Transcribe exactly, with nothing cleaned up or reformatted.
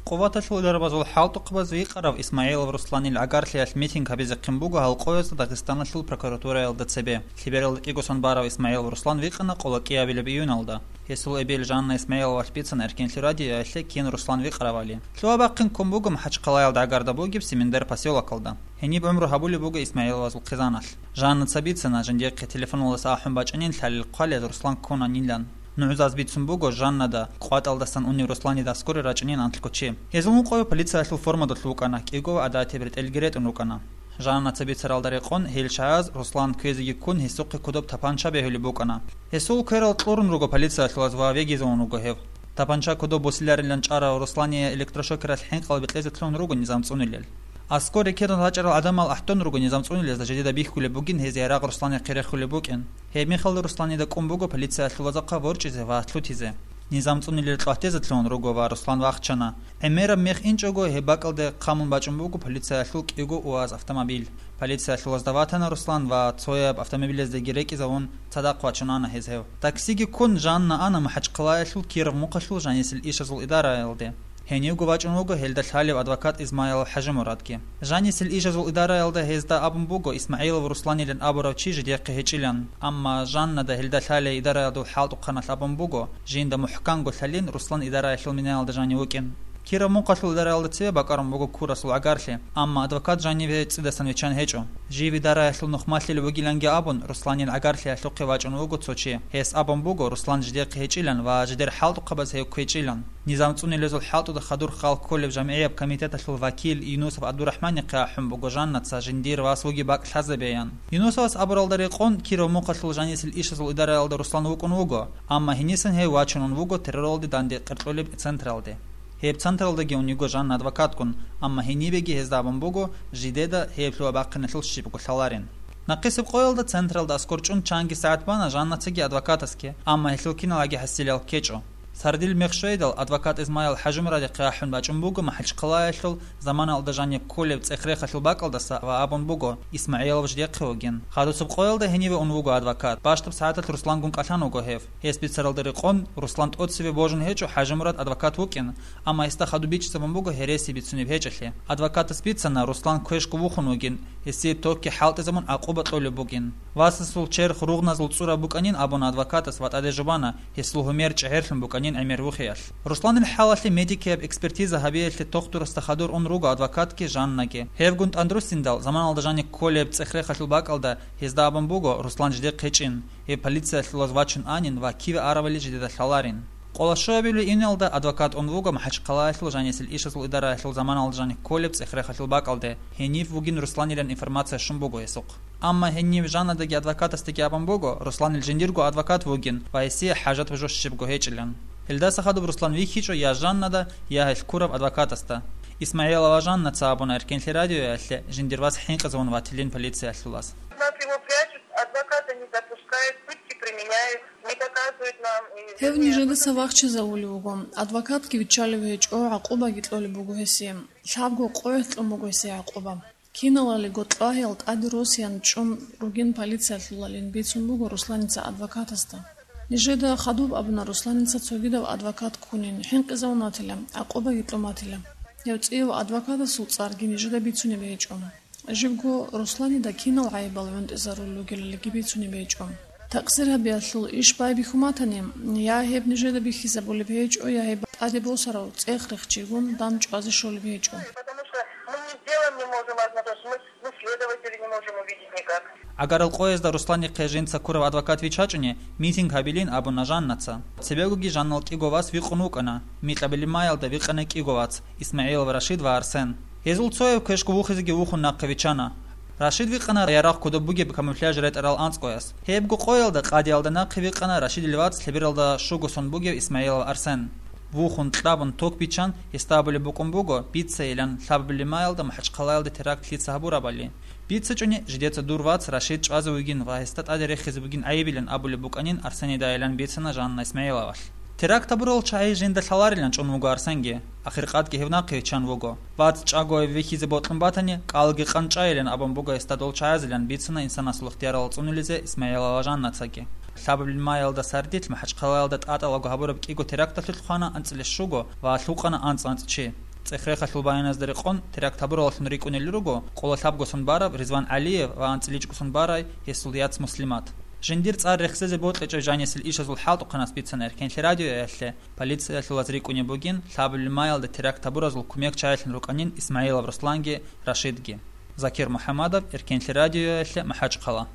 Къуваталъул дарабазул хӀалтӀухъабаз викъарав ИсмагӀилов Русланил гӀагарлъиялъ митинг гьабизехъин буго гьал къоязда Дагъистаналъул прокуратураялда цебе. Лъебералда кӀиго сон барав ИсмагӀилов Руслан викъана къоло кӀиабилеб июналда. Гьесул эбел Жанна ИсмагӀиловалъ бицана Эркенлъи радиоялъе кин Руслан викъаравали. Лъугьа-бахъин ккун буго МахӀачхъалаялда гӀагарда бугеб Семендар посёлокалда. Гьениб гӀумру гьабулеб буго ИсмагӀиловазул хъизаналъ. Жаннаца бицана, жиндихъе телефоналдаса ахӀун бачӀанин лъалел хъвалел Руслан ккунанилан. НугӀзаз бицун буго Жаннада, къватӀалдасан унев Русланида аскоре рачӀунин анлъго чи. Гьезул мукъаве полициялъул форма долъ вукӀана, кӀиго ва гӀадатияб ретӀелги ретӀун рукӀана. Жаннаца бицаралда рекъон, гьел чагӀаз Руслан кквезеги ккун гьесухъе кодоб тапанча бегьулеб букӀана. Гьесул кверал кьурун руго полициялъулаз ва вегизавун вуго гьев. Тапанча кодоб босиларилан чӀарав Руслание электрошокералъ хӀинкъал бекьезе лъугьун руго низам цӀунилел. Аскор рекерун рачӀарал гӀадамал ахӀдон руго низам цӀунилезда жидеда бихьулеб бугин гьез ярагъ Русланихъе рехулеб букӀин. Гьеб мехалда Русланида кӀун буго полициялъулазухъа ворчӀизе ва лъутизе. Низам цӀунилел кьватӀезе лъугьун руго ва Руслан вахчана. ГӀемераб мех инчӀого гьеб бакӀалде хъамун бачӀун буго полициялъул кӀиго УАЗ автомобиль. Полициялъулазда ватана Руслан ва цояб автомобилездеги рекӀизавун цадахъ вачун ана гьез гьев. Таксиги ккун Жанна ана МахӀачхъалаялъул Киров мухъалъул жанисел ишазул идараялде. Гьенивго вачӀун вуго гьелда лъалев адвокат Измайлов ХӀажимурадги. Жанисел ишазул идараялда гьезда абун буго ИсмагӀилов Русланилан абурав чи жидехъе гьечӀилан, амма Жаннада гьелда лъалей идараялдул хӀалтӀухъаналъ абун буго, жинда мухӀканго лъалин Руслан идараялъул минаялда жанив вукӀин. Киров мухъалъул идараялда цеве бакӀарун буго Курасул гӀагарлъи, амма адвокат жаниве цӀидасан виччан гьечӀо. Жив идараялъул нухмалъилев вугиланги абун, Русланил гӀагарлъиялъухъе вачӀун вуго цо чи. Гьес абун буго Руслан жидехъе гьечӀилан ва жидер хӀалтӀухъабаз гьев кквечӀилан. Низам цӀунилезул хӀалтӀуда хадур хал кколеб жамгӀияб комитеталъул вакил Юнусов ГӀабдурахӀманихъе ахӀун буго Жаннаца жиндир вас вугеб бакӀ лъазабеян. Юнусовас абуралда рекъон, Киров мухъалъул жанисел ишазул идараялда Руслан вукӀун вуго, амма гьенисан гьев вачунун вуго терроралде данде къеркьулеб централде. Гьеб централдаги ун йиго Жанна адвокатгун, амма гьенибеги гьезда абун буго жидеда гьеб лъугьа-бахъиналъул щибго лъаларин. Нахъисеб къоялда централда аскор чӀун чанги сагӀат бана Жаннацаги адвокатасги, амма гьелъул киналги хӀасилал ккечӀо. Сардил мех щвейдал, адвокат Измаил ХӀажимурадихъе ахӀун бачӀун буго МахӀачхъалаялъул заманалда жаниб кколеб цӀех-рехалъул бакӀалдаса ва абун буго, ИсмагӀилов жидехъе вугин. Хадусеб къоялда гьениве ун вуго адвокат. Бащдаб сагӀаталъ Руслангун кӀалъан вуго гьев. Гьес бицаралда рекъон, Руслан тӀоцеве божун гьечӀо ХӀажимурад адвокат вукӀин, амма гьесда хадуб бичӀчӀизабун буго гьереси бицунеб гьечӀолъи. Адвокатас бицана, Руслан квешго вухун вугин, гьесие токги хӀалтӀизабун гӀакъуба кьолеб бугин. Васасул черх ругъназул цӀураб букӀанин абуна адвокатас ва тӀаде жубана, гьесул гьумер чӀегӀерлъун букӀанин гӀемер вухиялъ. Русланил хӀалалъе медикияб экспертиза гьабиялъе тохтурасда хадур ун руго адвокатги Жаннаги. Гьевгун тӀадруссиндал, заманалда жаниб кколеб цӀех-рехалъул бакӀалда гьезда абун буго Руслан жидехъе гьечӀин, гьев полициялъулаз вачун анин ва киве аравали жидеда лъаларин. Къоло щуабилеб июналда адвокат ун вуго МахӀачхъалаялъул жанисел ишазул идараялъул заманалда жаниб кколеб цӀех-рехалъул бакӀалде, гьенив вугин Русланилан информация щун буго гьесухъ. Амма гьенив Жаннадаги адвокатасдаги абун буго, Русланил жиндирго адвокат вугин ва гьесие хӀажат божо щибго гьечӀилан. Гьелдаса хадуб Руслан вихьичӀо я Жаннада, я гьелъ ккураб адвокатасда. ИсмагӀилова Жаннаца абуна Эркенлъи радиоялъе жиндир вас хӀинкъизавун ватилин полициялъулаз. Нас его прячут, адвоката не запускают, пытки применяют, не показывают нам. И Гьев нижедаса вахчизавулев вуго, адвокатги виччалев гьечӀо, гӀакъубаги кьолеб буго гьесие. Лъабго къоялъ кьун буго гьесие гӀакъуба. Киналалиго кьвагьал тӀаде росиян чӀун ругин полициялъулалин бицун буго Русланица адвокатасда. Нижеда хадуб абуна Русланица цогидав адвокат ккунин, хӀинкъизавун ватила, гӀакъубаги кьун ватила. Гьев цӀияв адвокатасул цӀарги нижеда бицунеб гьечӀо. Живго Русланида кинал гӀайибал гӀунтӀизарулел ругелалиги бицунеб гьечӀо. Такъсир гьабиялъул иш байбихьун батани, я гьеб нижеда бихьизабулеб гьечӀо, я гьеб тӀаде босарав цӀех-рех чигун дандчӀвазе щолеб гьечӀо. Потому что мы ни с делом не можем ознакомиться, мы, мы следователей не можем увидеть никак. ГӀагарал къоязда Русланихъе жинца ккурав адвокат виччачӀони, митинг гьабилин абуна Жаннаца. Цебегоги Жаннал кӀиго вас вихъун вукӀана, микьабилеб маялда вихъана кӀиго вац, ИсмагӀилов Рашид ва Арсен. Гьезул цояв квешго вухизеги вухун нахъе виччана. Рашид вихъана ярагъ кодоб бугеб камуфляж ретӀарал анцӀгояс. Гьебго къоялда къадиялда нахъе вихъана Рашидил вац лъебералда щуго сон бугев ИсмагӀилов Арсен. Вухун кьабун ток биччан, гьесда абулеб букӀун буго, бицайилан, лъабабилеб маялда МахӀачхъалаялда теракт лъица гьабурабали. БицачӀони, жидеца дур вац Рашид чӀвазе вугин ва гьесда тӀаде рехизе бугин гӀайибилан абулеб букӀанин Арсенидайилан бицана Жанна ИсмагӀиловалъ. Теракт гьабурал чагӀи жинда лъаларилан чӀун вуго Арсенги. Ахиркъадги гьев нахъе виччан вуго. Вац чӀаго гьев вихьизе бокьун батани, кӀалги къанчӀайилан абун буго гьесда дол чагӀазилан бицана инсанасул ихтиярал цӀунулезе ИсмагӀилова Жаннацаги. Лъабабилеб маялда сардилъ МахӀачхъалаялда тӀатӀалаго гьабураб кӀиго теракталъулъ хвана анцӀила щуго ва лъукъана анцӀ-анцӀ чи. ЦӀех-рехалъул баяназда рекъон, теракт гьабураллъун рикӀкӀунел руго къоло лъабго сон бараб Ризван ГӀалиев ва анцӀила чӀужу сон барай гьесул яц Муслимат. Жиндир цӀар рехсезе бокьичӀеб жанисел ишазул хӀалтӀухъанас бицана Эркенлъи радиоялъе, полициялъулаз рикӀкӀунеб бугин лъабабилеб маялда теракт гьабуразул кумекчагӀилъун рукӀанин Исмагьилов Русланги Рашидги. Закир МухӀамадов, Эркенлъи радиоялъе, МахӀачхъала.